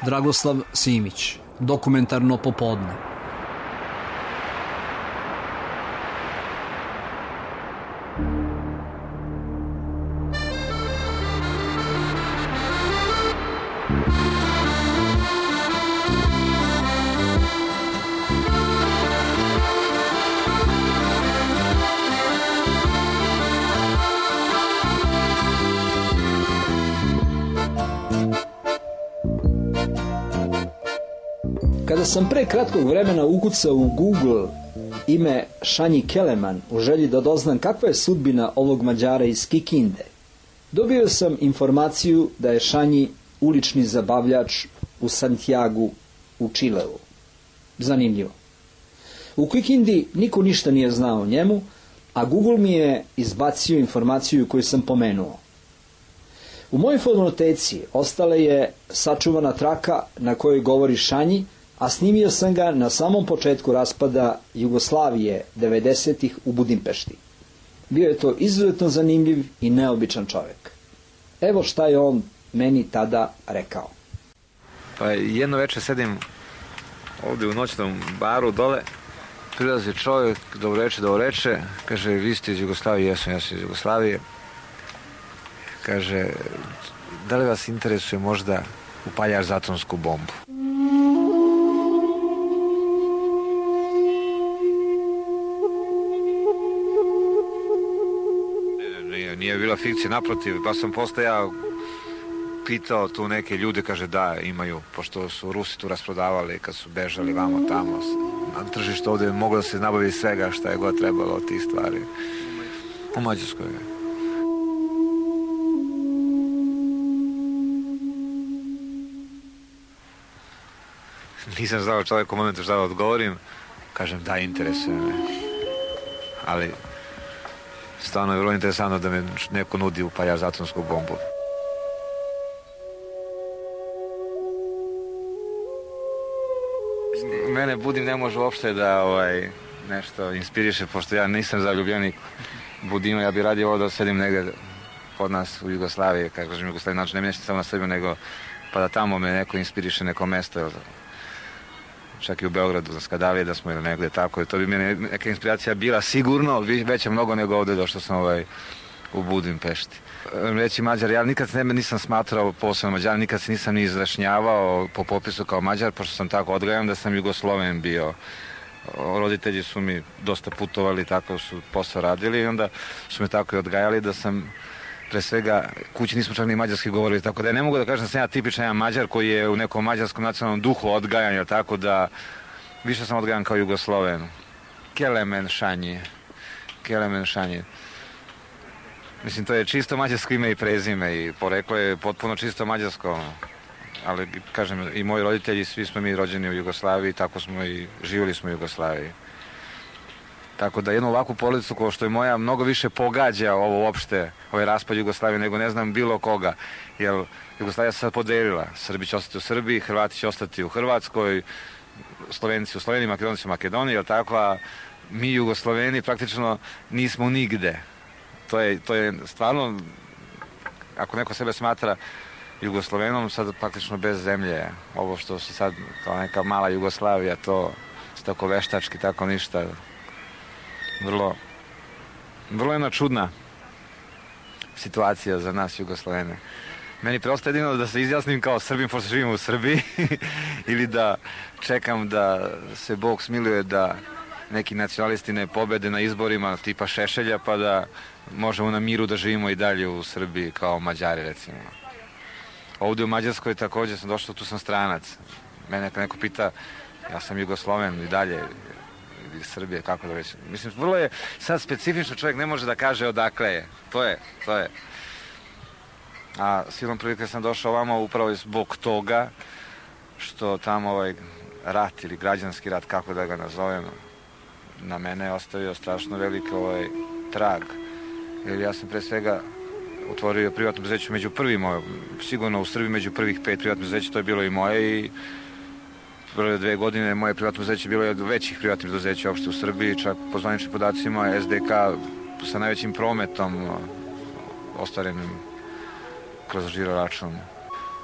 Dragoslav Simić, Dokumentarno popodne. Kada sam pre kratkog vremena ukucao u Google ime Šanji Keleman u želji da doznam kakva je sudbina ovog Mađara iz Kikinde, dobio sam informaciju da je Šanji ulični zabavljač u Santiagu u Čileu. Zanimljivo. U Kikindi niko ništa nije znao o njemu, a Google mi je izbacio informaciju koju sam pomenuo. U mojoj fonoteci ostala je sačuvana traka na kojoj govori Šanji, a snimio sam ga na samom početku raspada Jugoslavije 90-ih u Budimpešti. Bio je to izuzetno zanimljiv i neobičan čovjek. Evo šta je on meni tada rekao. Pa jedno večer sedim ovdje u noćnom baru dole, prilazi čovjek, dobro reče, kaže, vi ste iz Jugoslavije, ja sam iz Jugoslavije. Kaže, da li vas interesuje možda upaljač za atomsku bombu? Nije bila fikcija, naprotiv, pa sam posle ja pitao tu neke ljude, kaže da, imaju, pošto su Rusi tu rasprodavali kad su bežali vamo tamo, na tržištu ovdje moglo da se nabavi svega šta je god trebalo od tih stvari. U Mađarskoj. Nisam znao čovjek u momentu šta da odgovorim, kažem da, interesuje me, ali stvarno je vrlo interesantno da me neko nudi upaljač za atomsku bombu. Mene Budim ne može uopšte da nešto inspiriše, pošto ja nisam zaljubljenik Budima, ja bih radio ovo da sedim negdje kod nas u Jugoslaviji, kako kažem Jugoslaviji, znači ne mislim samo na Srbiju, nego pa da tamo me neko inspiriše, neko mesto, čak i u Beogradu, za Skadalije da smo ili negdje tako, to bi meni neka inspiracija bila sigurno, veća mnogo nego ovdje došao sam u Budimpešti. Reći Mađar, ja nikad sebe nisam smatrao posebno Mađar, nikad se nisam ni izrašnjavao po popisu kao Mađar, pošto sam tako odgajan da sam Jugosloven bio. Roditelji su mi dosta putovali, tako su posao radili i onda su me tako i odgajali da sam pre svega, kući nismo čak ni mađarski govorili, tako da ja ne mogu da kažem da sam ja tipičan jedan Mađar koji je u nekom mađarskom nacionalnom duhu odgajan, tako da više sam odgajan kao Jugosloven. Kelemen Šanji. Mislim, to je čisto mađarsko ime i prezime i poreklo je potpuno čisto mađarsko, ali kažem, i moji roditelji, svi smo mi rođeni u Jugoslaviji, tako smo i živjeli smo u Jugoslaviji. Tako da jednu ovakvu porodicu kao što je moja mnogo više pogađa ovo uopšte, ovaj raspad Jugoslavije, nego ne znam bilo koga. Jer Jugoslavija se sad podelila. Srbi će ostati u Srbiji, Hrvati će ostati u Hrvatskoj, Slovenci u Sloveniji, Makedonci u Makedoniji, jel tako? A mi Jugosloveni praktično nismo nigde. To je stvarno, ako neko sebe smatra Jugoslovenom, sad praktično bez zemlje. Ovo što se sad kao neka mala Jugoslavija, to je tako veštački, tako ništa. Vrlo jedna čudna situacija za nas Jugoslovene. Meni preostaje jedino da se izjasnim kao Srbin, pošto živim u Srbiji, ili da čekam da se Bog smiluje da neki nacionalisti ne pobede na izborima tipa Šešelja, pa da možemo na miru da živimo i dalje u Srbiji kao Mađari, recimo. Ovdje u Mađarskoj također sam došao, tu sam stranac. Mene kad neko pita, ja sam Jugosloven i dalje, iz Srbije, kako da već. Mislim, vrlo je sad specifično, čovjek ne može da kaže odakle je. To je. A silom prilike sam došao ovamo upravo zbog toga što tamo rat ili građanski rat, kako da ga nazovem, na mene je ostavio strašno velik trag. Jer ja sam pre svega otvorio privatno preduzeće među prvima, sigurno u Srbiji među prvih 5 privatnih preduzeća, to je bilo i moje i prve 2 godine moje privatno preduzeće bilo je od većih privatnih preduzeća uopšte u Srbiji, čak po zvaničnim podacima SDK sa najvećim prometom ostvarenim kroz žiro račun.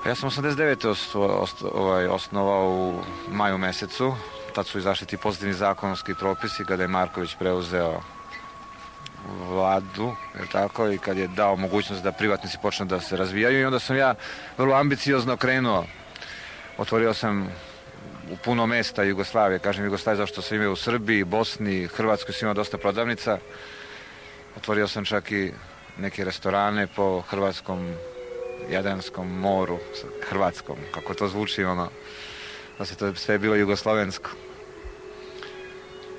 Ja sam 89. osnovao u maju mesecu. Tad su izašli ti pozitivni zakonski propisi kada je Marković preuzeo vladu, je tako, i kad je dao mogućnost da privatnici počnu da se razvijaju, i onda sam ja vrlo ambiciozno krenuo. Otvorio sam u puno mesta Jugoslavije, kažem Jugoslavije zašto sam imao u Srbiji, Bosni, Hrvatskoj sam imao dosta prodavnica. Otvorio sam čak i neke restorane po hrvatskom Jadranskom moru, hrvatskom, kako to zvuči, da se to sve bilo jugoslovensko.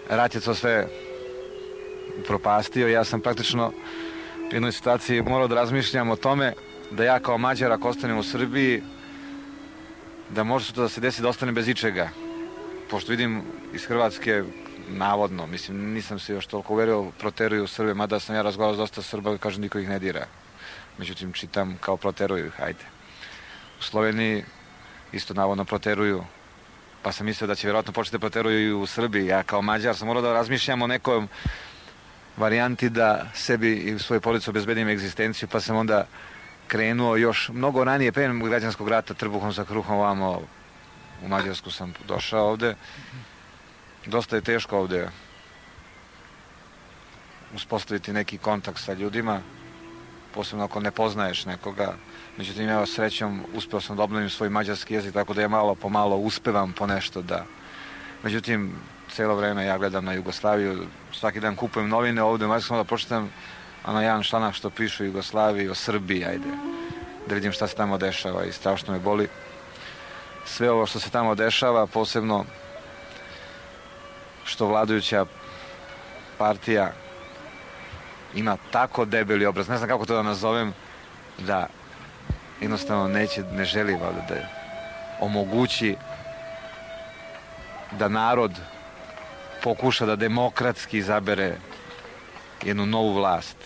Rat je to sve upropastio. Ja sam praktično u jednoj situaciji morao da razmišljam o tome da ja kao Mađar, ako ostanem u Srbiji, da može to da se desi da ostanem bez ičega. Pošto vidim iz Hrvatske, navodno, mislim, nisam se još toliko uverio, proteruju Srbe, mada sam ja razgovarao s dosta Srba i kažem niko ih ne dira. Međutim, čitam kao proteruju ih, ajde. U Sloveniji isto navodno proteruju, pa sam mislio da će vjerojatno početi da proteruju i u Srbiji. Ja kao Mađar sam morao da razmišljam o nekom varijanti da sebi i svojoj porodici obezbedim egzistenciju, pa sam onda krenuo još mnogo ranije, pre građanskog rata, trbuhom za kruhom ovamo u Mađarsku sam došao ovde. Dosta je teško ovde uspostaviti neki kontakt sa ljudima, posebno ako ne poznaješ nekoga. Međutim, ja srećom uspeo sam da obnovim svoj mađarski jezik, tako da ja malo po malo uspevam po nešto da... Međutim, cijelo vreme ja gledam na Jugoslaviju, svaki dan kupujem novine ovde u Mađarskom, da pročitam jedan članak što pišu o Jugoslaviji, o Srbiji, ajde, da vidim šta se tamo dešava, i strašno me boli. Sve ovo što se tamo dešava, posebno što vladajuća partija ima tako debeli obraz, ne znam kako to da nazovem, da jednostavno ne želi da omogući da narod pokuša da demokratski izabere jednu novu vlast.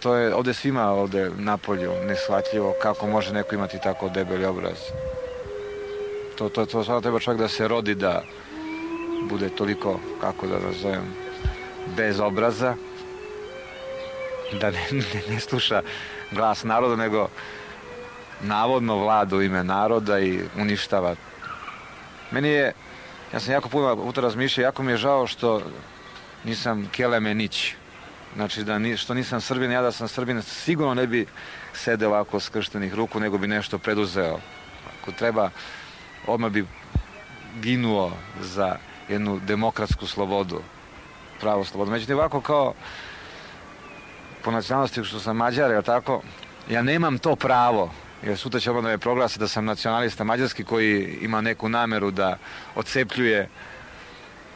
To je ovde svima ovde napolju neshvatljivo kako može neko imati tako debeli obraz. To stvarno treba čovjek da se rodi da bude toliko, kako da nazovem, bez obraza, da ne sluša glas naroda, nego navodno vlada u ime naroda i uništava. Ja sam jako puta razmišljao, jako mi je žao što nisam Kelemenić. Znači, što nisam Srbin, ja da sam Srbin, sigurno ne bi sede ovako skrštenih ruku, nego bi nešto preduzeo. Ako treba, odmah bi ginuo za jednu demokratsku slobodu, pravu slobodu. Međutim, ovako kao po nacionalnosti što sam Mađar, jel tako, ja nemam to pravo, jer sutra će da me proglasi da sam nacionalista mađarski koji ima neku nameru da odcepljuje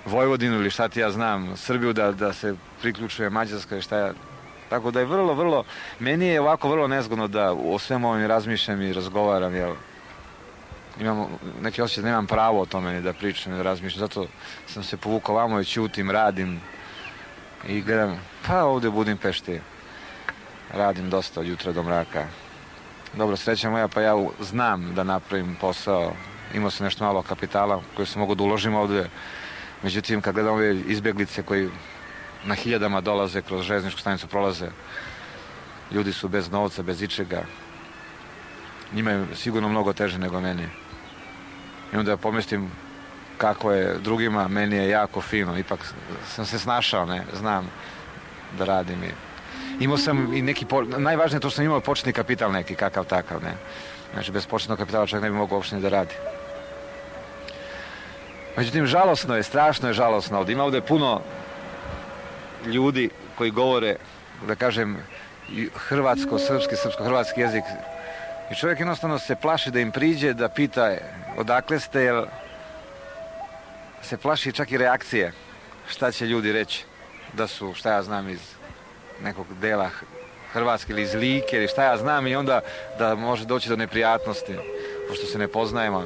Vojvodinu ili šta ti ja znam, Srbiju, da se priključuje Mađarska i šta ja... Tako da je vrlo, meni je ovako vrlo nezgodno da o svemu ovim razmišljam i razgovaram, jer imam neki osjećaj da nemam pravo o tome ni da pričam, ni da razmišljam, zato sam se povukao vamo i ćutim, radim i gledam, pa ovde u Budimpešti radim dosta od jutra do mraka. Dobro, sreća moja, pa ja znam da napravim posao, imao sam nešto malo kapitala koje sam mogu da uložim ovde. Međutim, kad gledam ove izbjeglice koji na hiljadama dolaze kroz železničku stanicu, prolaze, ljudi su bez novca, bez ičega. Njima je sigurno mnogo teže nego meni. I onda pomestim kako je drugima, meni je jako fino. Ipak sam se snašao, ne, znam da radim. Imao sam i neki, najvažnije je to što sam imao početni kapital neki, kakav takav, ne. Znači, bez početnog kapitala čovjek ne bi mogao uopšte ni da radi. Međutim, žalosno je, strašno je žalosno ovdje. Ima ovdje puno ljudi koji govore, da kažem, hrvatsko-srpski, srpsko-hrvatski jezik. I čovjek jednostavno se plaši da im priđe, da pita odakle ste, jer se plaši čak i reakcije. Šta će ljudi reći? Da su, šta ja znam, iz nekog dela Hrvatske ili iz Like ili šta ja znam, i onda da može doći do neprijatnosti, pošto se ne poznajemo.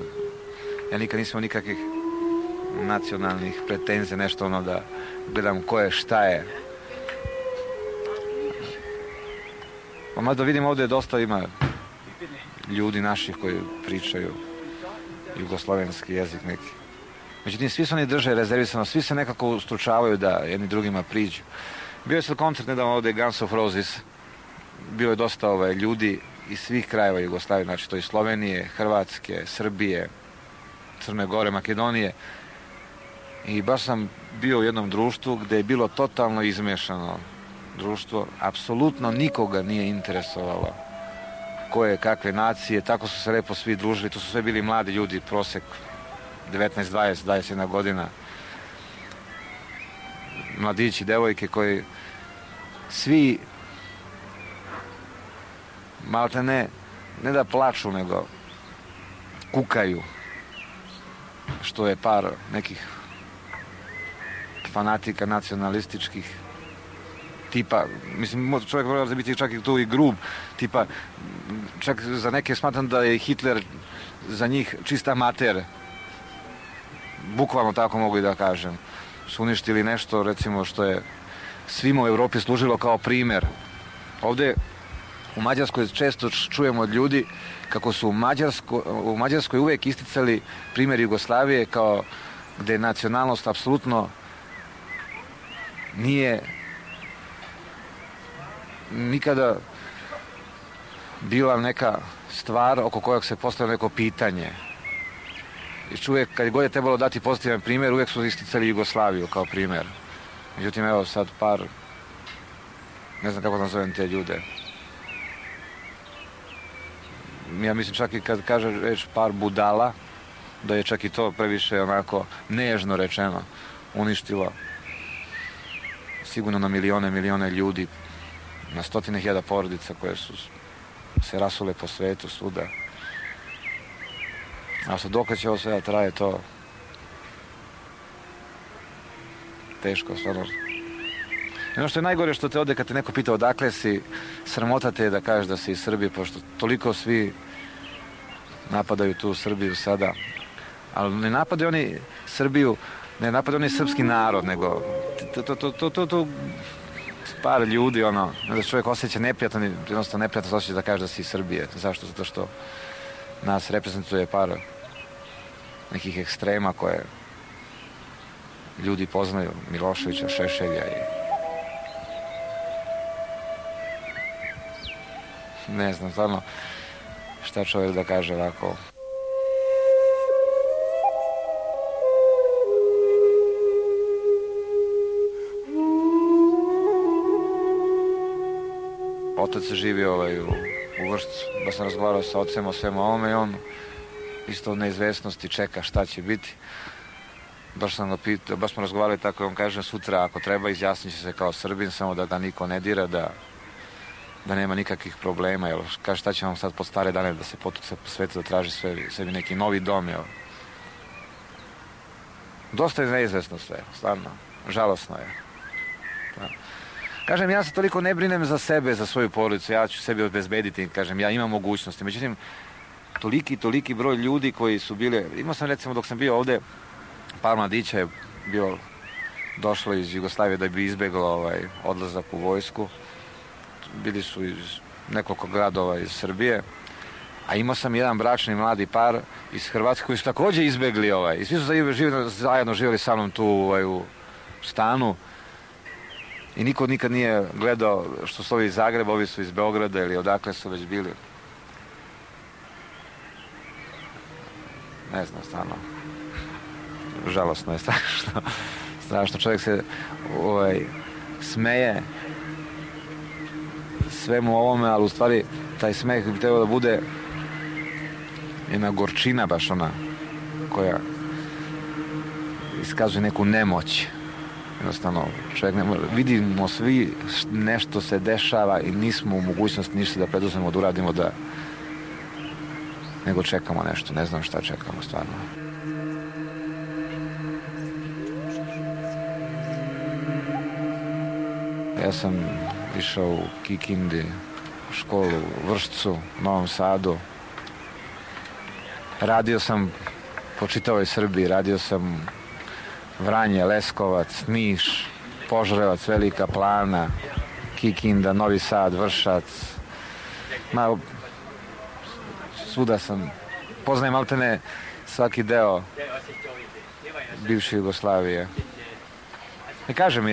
Ja nikad nisam nikakvih nacionalnih pretenzija, nešto da gledam ko je, šta je. Pa mada vidim ovdje dosta ima ljudi naših koji pričaju jugoslovenski jezik neki. Međutim, svi se oni drže rezervisano, svi se nekako ustručavaju da jedni drugima priđu. Bio je sad koncert nedavno ovdje Guns of Roses, bio je dosta ljudi iz svih krajeva Jugoslavije, znači to iz Slovenije, Hrvatske, Srbije, Crne Gore, Makedonije. I baš sam bio u jednom društvu gdje je bilo totalno izmiješano društvo, apsolutno nikoga nije interesovalo koje, kakve nacije, tako su se lepo svi družili, to su sve bili mladi ljudi, prosek 19, 20, 21 godina, mladići, devojke koji svi malte ne da plaču, nego kukaju što je par nekih fanatika nacionalističkih tipa, mislim, čovjek mora biti čak i tu i grub, tipa, čak za neke smatram da je Hitler za njih čista mater, bukvalno tako mogu i da kažem, su uništili nešto, recimo, što je svima u Europi služilo kao primjer. Ovdje u Mađarskoj često čujemo od ljudi kako su u Mađarskoj uvijek isticali primjer Jugoslavije kao gdje je nacionalnost apsolutno nije nikada bila neka stvar oko kojeg se postavilo neko pitanje. I uvijek, kad god je trebalo dati pozitivan primjer, uvijek su isticali Jugoslaviju kao primjer. Međutim, evo sad par, ne znam kako nazovem te ljude. Ja mislim čak i kad kaže reč par budala, da je čak i to previše onako nežno rečeno uništilo sigurno na milijone ljudi, na stotine hiljada porodica koje su se rasule po svetu svuda. A sad dok će ovo sve da traje, to teško, stvarno. I ono što je najgore što te ode kad te neko pita odakle si, sramota te je da kažeš da si iz Srbije, pošto toliko svi napadaju tu Srbiju sada. Ali ne napadaju oni Srbiju, ne napadaju oni srpski narod, nego to par ljudi, ono, da čovjek osjeća neprijatno, jednostavno neprijatno se osjeća da kaže da si iz Srbije. Zašto? Zato što nas reprezentuje par nekih ekstrema koje ljudi poznaju, Miloševića, Šešelja i ne znam, stvarno šta čovjek da kaže ovako. Otac živi u Vršcu, baš sam razgovarao sa ocem o svemu ovome i on isto u neizvesnosti čeka šta će biti. Baš sam ga pitao, baš smo razgovarali tako i on kaže sutra ako treba izjasnit će se kao Srbin, samo da ga niko ne dira, da nema nikakvih problema, jer kaže šta će vam sad pod stare dane da se potuca po svetu, da traži sebi neki novi dom, jel. Dosta je neizvesno sve, stvarno, žalosno je. Da. Kažem, ja se toliko ne brinem za sebe, za svoju porodicu, ja ću sebi obezbediti, kažem, ja imam mogućnosti, međutim, toliki broj ljudi koji su bili, imao sam recimo dok sam bio ovdje, par mladića je došlo iz Jugoslavije da bi izbjeglo odlazak u vojsku, bili su iz nekoliko gradova iz Srbije, a imao sam jedan bračni mladi par iz Hrvatske koji su također izbjegli i svi su zajedno živjeli sa mnom tu u stanu i niko nikad nije gledao što su ovi iz Zagreba, ovi su iz Beograda ili odakle su već bili. Ne znam, stvarno žalosno je, strašno čovjek se smeje svemu ovome, ali u stvari taj smeh bi trebao da bude jedna gorčina baš ona koja iskazuje neku nemoć. Jednostavno, čovjek ne može, vidimo svi nešto se dešava i nismo u mogućnosti ništa da preduzmemo, da uradimo, nego čekamo nešto, ne znam šta čekamo stvarno. Ja sam išao u Kikindi, u školu u Vršcu, u Novom Sadu. Radio sam po čitavoj Srbiji, radio sam Vranje, Leskovac, Niš, Požarevac, Velika Plana, Kikinda, Novi Sad, Vršac. Svuda sam, poznajem maltene svaki deo bivše Jugoslavije. I kažem,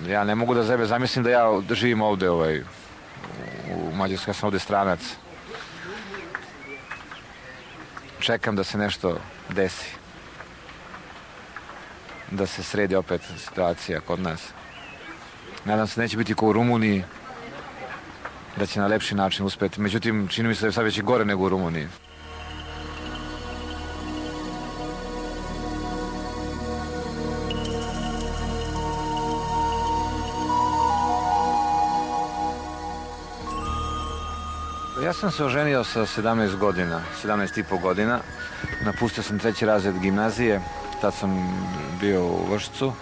ja ne mogu da sebe zamislim da ja živim ovdje u Mađarskoj, ja sam ovdje stranac. čekam da se nešto desi. Da se sredi opet situacija kod nas. Nadam se neće biti kao u Rumuniji, da će na lepši način uspjeti. Međutim, čini mi se da je sad već i gore nego u Rumuniji. Ja sam se oženio sa 17 godina, 17,5 godina. Napustio sam 3. razred gimnazije, tad sam bio u Vršcu.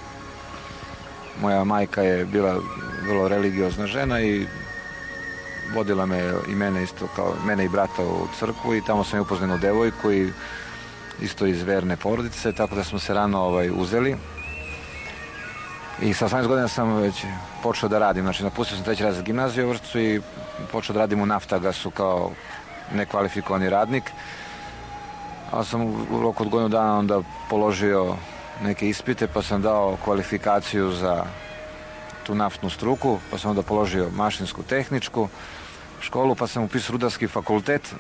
Moja majka je bila vrlo religiozna žena i vodila me i mene isto kao mene i brata u crkvu i tamo sam je upoznao devojku i isto iz verne porodice, tako da smo se rano uzeli. I sa 18 godina sam već počeo da radim, znači napustio sam 3. razred gimnazije u Vršcu i počeo da radim u Naftagasu kao nekvalifikovani radnik. Ali sam u roku od godinu dana onda položio neke ispite pa sam dao kvalifikaciju za tu naftnu struku, pa sam onda položio mašinsku tehničku školu, pa sam upisao rudarski fakultet.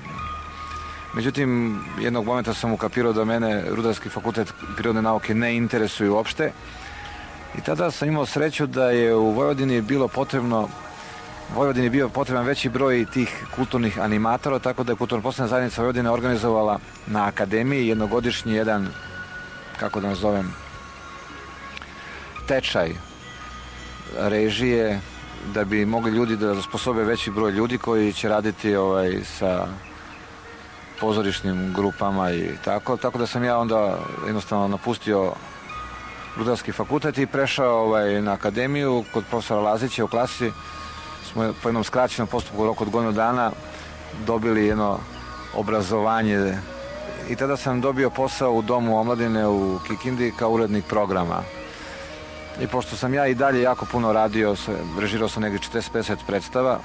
Međutim, jednog momenta sam ukapirao da mene rudarski fakultet prirodne nauke ne interesuju uopšte. I tada sam imao sreću da je u Vojvodini bio potreban veći broj tih kulturnih animatora, tako da je Kulturno-poslovna zajednica Vojvodine organizovala na akademiji jednogodišnji jedan, kako da nazovem, tečaj režije, da bi mogli ljudi da zasposobe veći broj ljudi koji će raditi sa pozorišnim grupama i tako. Tako da sam ja onda jednostavno napustio rudarski fakultet i prešao na akademiju kod profesora Lazića. U klasi smo po jednom skraćenom postupku u roku od godinu dana dobili jedno obrazovanje i tada sam dobio posao u Domu omladine u Kikindi kao urednik programa. I pošto sam ja i dalje jako puno radio, režirao sam negdje 40-50 predstava,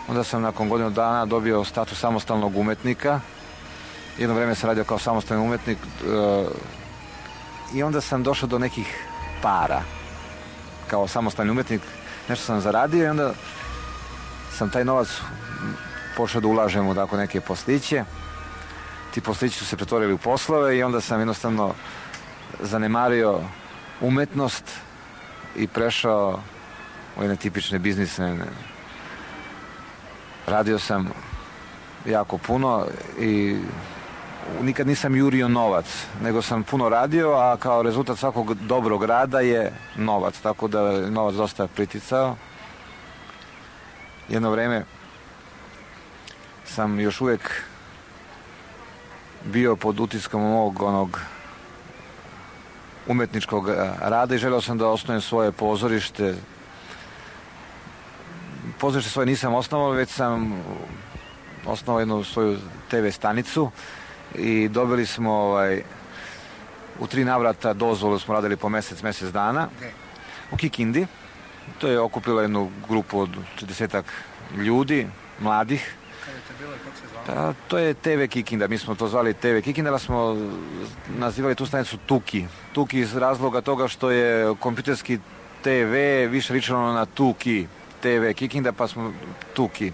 onda sam nakon godinu dana dobio status samostalnog umetnika. Jedno vrijeme sam radio kao samostalni umetnik i onda sam došao do nekih para kao samostalni umetnik, nešto sam zaradio i onda sam taj novac počeo da ulažem u tako neke posliće. Ti poslići su se pretvorili u poslove i onda sam jednostavno zanemario umetnost i prešao u jedne tipične biznise. Radio sam jako puno i nikad nisam jurio novac, nego sam puno radio, a kao rezultat svakog dobrog rada je novac, tako da je novac dosta priticao. Jedno vrijeme sam još uvijek bio pod utiskom mog umetničkog rada i želeo sam da osnujem svoje pozorište. Pozorište svoje nisam osnovao, već sam osnovao jednu svoju TV stanicu i dobili smo u 3 navrata dozvolu, smo radili po mjesec dana u Kikindi. To je okupilo jednu grupu od 40 ljudi, mladih. Kada je to bilo i kako se zvalo? To je TV Kikinda, mi smo to zvali TV Kikinda, ali smo nazivali tu stanicu Tuki. Tuki iz razloga toga što je kompjuterski TV više ličilo na Tuki, TV Kikinda, pa smo Tuki.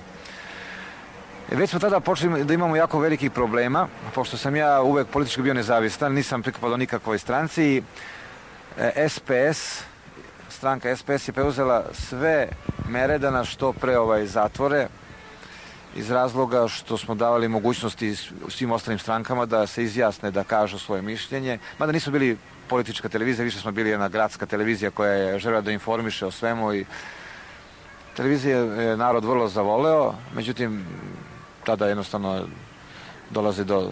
Već smo tada počeli da imamo jako velikih problema, pošto sam ja uvek politički bio nezavistan, nisam pripadao nikakvoj stranci. SPS, stranka SPS je preuzela sve mere da nas što pre zatvore, iz razloga što smo davali mogućnosti svim ostalim strankama da se izjasne, da kažu svoje mišljenje. Mada nismo bili politička televizija, više smo bili jedna gradska televizija koja je željela da informiše o svemu i televizija je narod vrlo zavoleo, međutim tada jednostavno dolazi do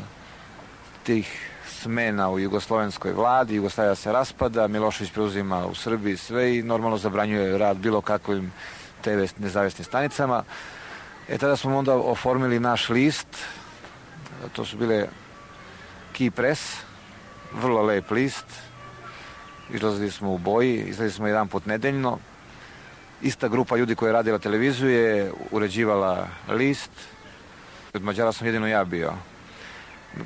tih smena u jugoslovenskoj vladi, Jugoslavija se raspada, Milošević preuzima u Srbiji sve i normalno zabranjuje rad bilo kakvim TV nezavisnim stanicama. Tada smo onda oformili naš list, to su bile Key Press, vrlo lep list, izlazili smo u boji, izlazili smo jedan put nedeljno. Ista grupa ljudi koja je radila televiziju je uređivala list, od Mađara sam jedino ja bio.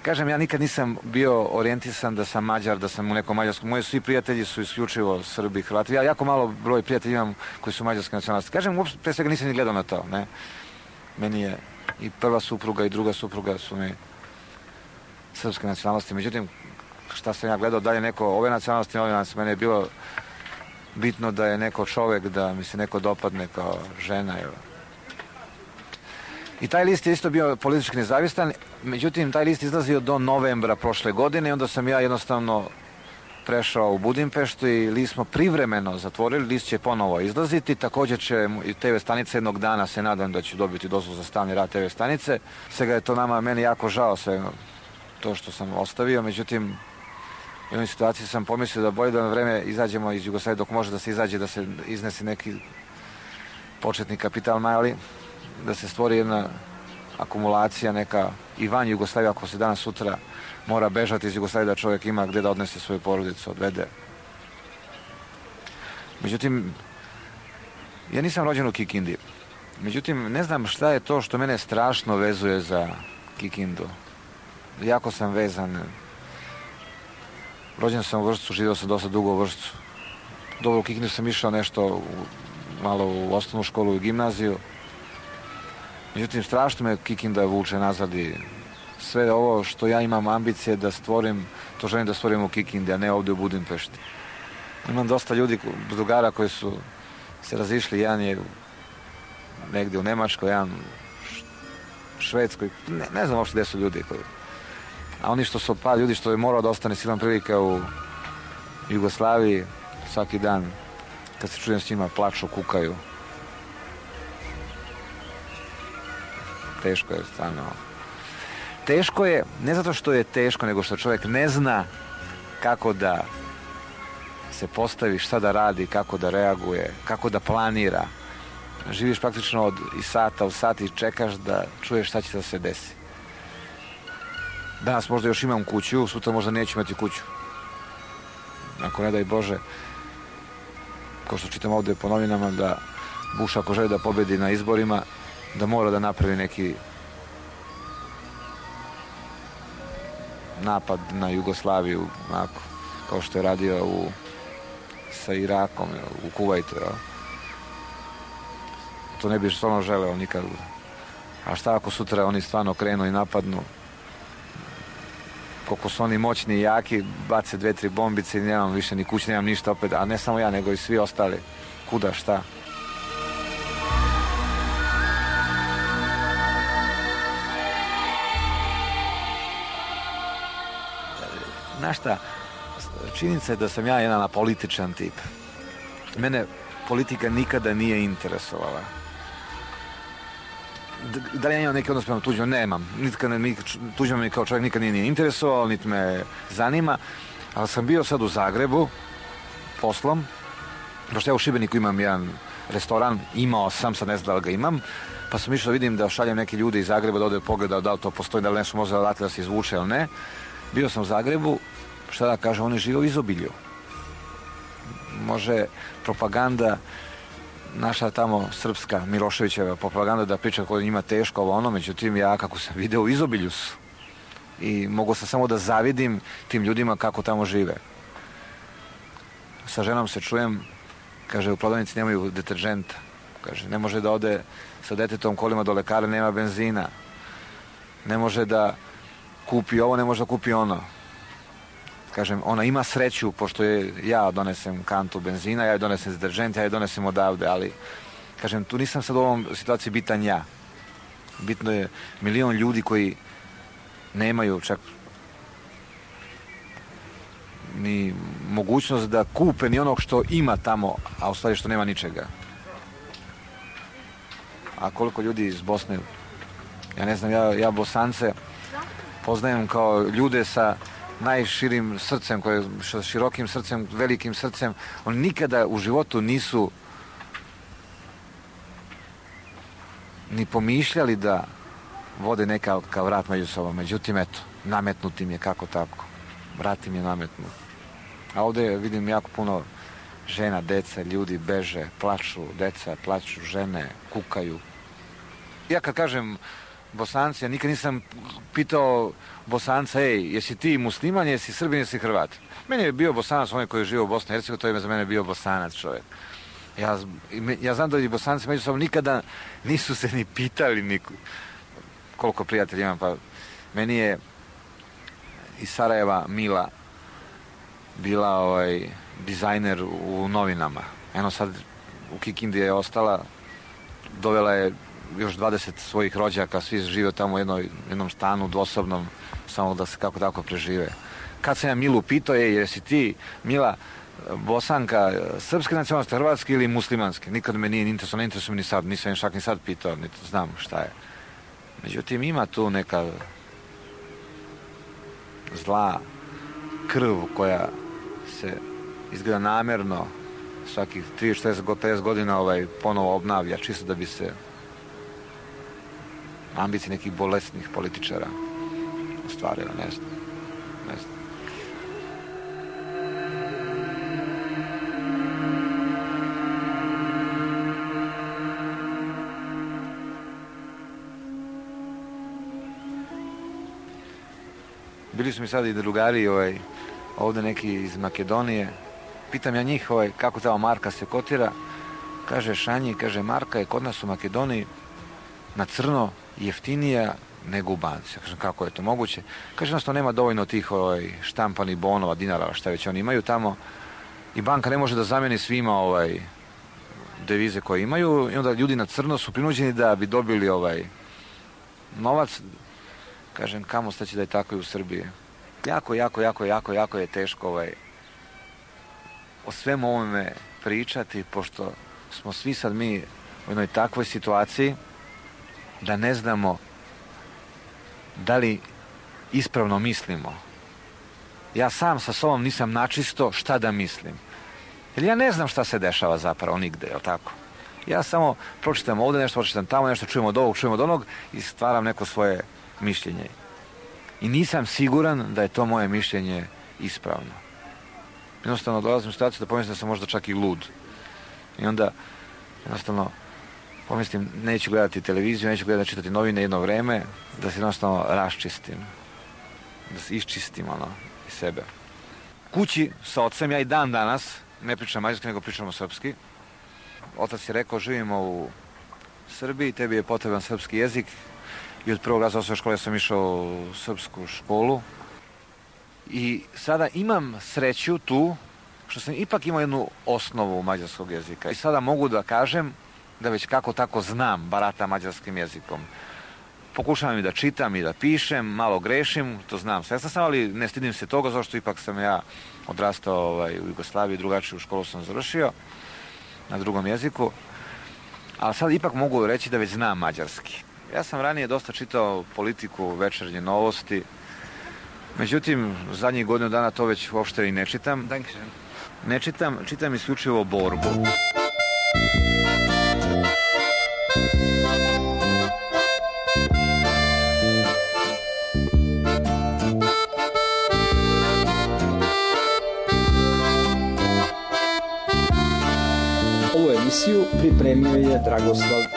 Kažem, ja nikad nisam bio orijentisan da sam Mađar, da sam u nekom mađarskom. Moji svi prijatelji su isključivo Srbi, Hrvati. Ja jako malo broj prijatelja imam koji su mađarske nacionalnosti. Kažem, uopšte pre svega nisam ni gledao na to. Ne? Meni je i prva supruga i druga supruga su mi srpske nacionalnosti. Međutim, šta sam ja gledao, da je neko ove nacionalnosti, mene je bilo bitno da je neko čovek, da mi se neko dopadne kao žena. I taj list je isto bio politički nezavistan, međutim, taj list izlazio do novembra prošle godine i onda sam ja jednostavno prešao u Budimpeštu i list smo privremeno zatvorili, list će ponovo izlaziti, također će i TV stanice jednog dana, se nadam da će dobiti dozvolu za stalni rad TV stanice. Svega je to meni jako žao sve to što sam ostavio, međutim, u jednoj situaciji sam pomislio da bolje da na vreme izađemo iz Jugoslavije dok može da se izađe, da se iznese neki početni kapital mali, da se stvori jedna akumulacija neka i van Jugoslavije, ako se danas sutra mora bežati iz Jugoslavije, da čovjek ima gdje da odnese svoju porodicu, odvede. Međutim, ja nisam rođen u Kikindi. Međutim, ne znam šta je to što mene strašno vezuje za Kikindu. Jako sam vezan. Rođen sam u Vršcu, živio sam dosta dugo u Vršcu. Dobro, u Kikindu sam išao nešto malo u osnovnu školu i gimnaziju. Međutim, strašno me Kikinda vuče nazad i sve ovo što ja imam ambicije da stvorim, to želim da stvorim u Kikindi, a ne ovdje u Budimpešti. Imam dosta ljudi, drugara koji su se razišli, jedan je negdje u Nemačkoj, jedan u Švedskoj, ne znam uopšte gdje su ljudi koji. A oni što su par ljudi što je morao da ostane silan prilika u Jugoslaviji, svaki dan kad se čujem s njima plaču, kukaju. Teško je stvarno. Teško je, ne zato što je teško, nego što čovjek ne zna kako da se postavi, šta da radi, kako da reaguje, kako da planira. Živiš praktično iz sata u sat i čekaš da čuješ šta će da se desi. Danas možda još imam kuću, sutra možda neću imati kuću. Ako ne daj Bože, kao što čitam ovdje po novinama, da Bush ako želi da pobedi na izborima, da mora da napravi neki napad na Jugoslaviju, onako, kao što je radio sa Irakom, u Kuvajtu. To ne bi stvarno želeo nikad. A šta ako sutra oni stvarno krenu i napadnu? Koliko su oni moćni i jaki, bace 2-3 bombice i nemam više ni kuće, nemam ništa opet, a ne samo ja, nego i svi ostali. Kuda, šta? Znaš šta, činjenica je da sam ja jedan apolitičan tip. Mene politika nikada nije interesovala. Da li ja imam neki odnos prema Tuđmanu? Nemam. Tuđman mi kao čovjek nikad nije interesovao, niti me zanima. Ali sam bio sad u Zagrebu poslom, pošto ja u Šibeniku imam jedan restoran, imao sam, sad ne znam da li ga imam, pa sam išao vidim da šaljem neke ljude iz Zagreba da ode pogleda da li to postoji, da li nešto može da se izvuče ili ne. Bio sam u Zagrebu, šta da kažem, oni žive u izobilju. Može propaganda naša tamo srpska, Miloševićeva propaganda da priča kako njima teško ovo ono, međutim ja kako sam video u izobilju su. I mogu sam samo da zavidim tim ljudima kako tamo žive. Sa ženom se čujem, kaže u prodavnici nemaju deterženta. Kaže ne može da ode sa detetom kolima do lekara, nema benzina. Ne može da kupi ovo, ne može da kupi ono. Kažem, ona ima sreću, pošto ja donesem kantu benzina, ja joj donesem deteržent, ja joj donesem odavde, ali, kažem, tu nisam sad u ovom situaciji bitan ja. Bitno je milion ljudi koji nemaju čak ni mogućnost da kupe ni onog što ima tamo, a u stvari što nema ničega. A koliko ljudi iz Bosne, ja ne znam, ja Bosance poznajem kao ljude sa najširim srcem, sa širokim srcem, velikim srcem. Oni nikada u životu nisu ni pomišljali da vode neka kao rat među sobom. Međutim, eto, nametnut im je kako tako. Rat im je nametnut. A ovdje vidim jako puno žena, deca, ljudi beže, plaču, deca, plaču, žene, kukaju. Ja kad kažem Bosanci, ja nikad nisam pitao Bosanca, jesi ti musliman, jesi Srbin, jesi Hrvat. Meni je bio Bosanac, onaj koji je živio u Bosni i Hercegovini, to je za mene bio Bosanac čovjek. Ja znam da i Bosanci međusobno nikada nisu se ni pitali koliko prijatelja imam, pa meni je iz Sarajeva Mila bila dizajner u novinama. Eno sad u Kikindi je ostala, dovela je još 20 svojih rođaka, svi žive tamo u jednom stanu dvosobnom, samo da se kako tako prežive. Kad sam ja Milu pitao, jesi ti, Mila, Bosanka, srpske nacionalnosti, hrvatske ili muslimanske? Nikad me nije interesovalo, ne interesuje me ni sad, nisam čak ni sad pitao, niti znam šta je. Međutim, ima tu neka zla krv koja se izgleda namjerno svakih 30-50 godina ponovo obnavlja, čisto da bi se ambicije nekih bolesnih političara ostvarile, ne znam. Bili su mi sad i drugari ovdje neki iz Makedonije. Pitam ja njih kako ta marka se kotira. Kaže Šanji, kaže marka je kod nas u Makedoniji na crno jeftinija nego u banci. Ja kažem kako je to moguće. Kaže jednostavno nema dovoljno tih štampanih bonova, dinara, šta već oni imaju tamo. I banka ne može da zameni svima devize koje imaju. I onda ljudi na crno su prinuđeni da bi dobili novac. Kažem, kamo staći da je tako i u Srbiji. Jako je teško o svemu ovome pričati, pošto smo svi sad mi u jednoj takvoj situaciji da ne znamo da li ispravno mislimo. Ja sam sa sobom nisam načisto šta da mislim. Jer ja ne znam šta se dešava zapravo nigde, jel tako? Ja samo pročitam ovdje nešto, pročitam tamo nešto, čujem od ovog, čujem od onog i stvaram neko svoje mišljenje. I nisam siguran da je to moje mišljenje ispravno. Jednostavno dolazim u situaciju da pomislim da sam možda čak i lud. I onda jednostavno pomislim neću gledati televiziju, neću gledati čitati novine jedno vreme, da se jednostavno raščistim. Da se iščistim iz sebe. Kući sa ocem, ja i dan danas ne pričam mađarski, nego pričamo srpski. Otac je rekao, živimo u Srbiji, tebi je potreban srpski jezik. I od prvog razreda osnovne škole sam išao u srpsku školu. I sada imam sreću tu, što sam ipak imao jednu osnovu mađarskog jezika. I sada mogu da kažem da već kako tako znam barata mađarskim jezikom. Pokušavam i da čitam i da pišem, malo grešim, to znam svestan sam, ali ne stidim se toga, zašto ipak sam ja odrastao u Jugoslaviji, drugačiju školu sam završio na drugom jeziku. Ali sad ipak mogu reći da već znam mađarski. Ja sam ranije dosta čitao politiku, večernje novosti. Međutim, zadnjih godinu dana to već uopšte i ne čitam. Ne čitam, čitam isključivo borbu. Ovu emisiju pripremio je Dragoslav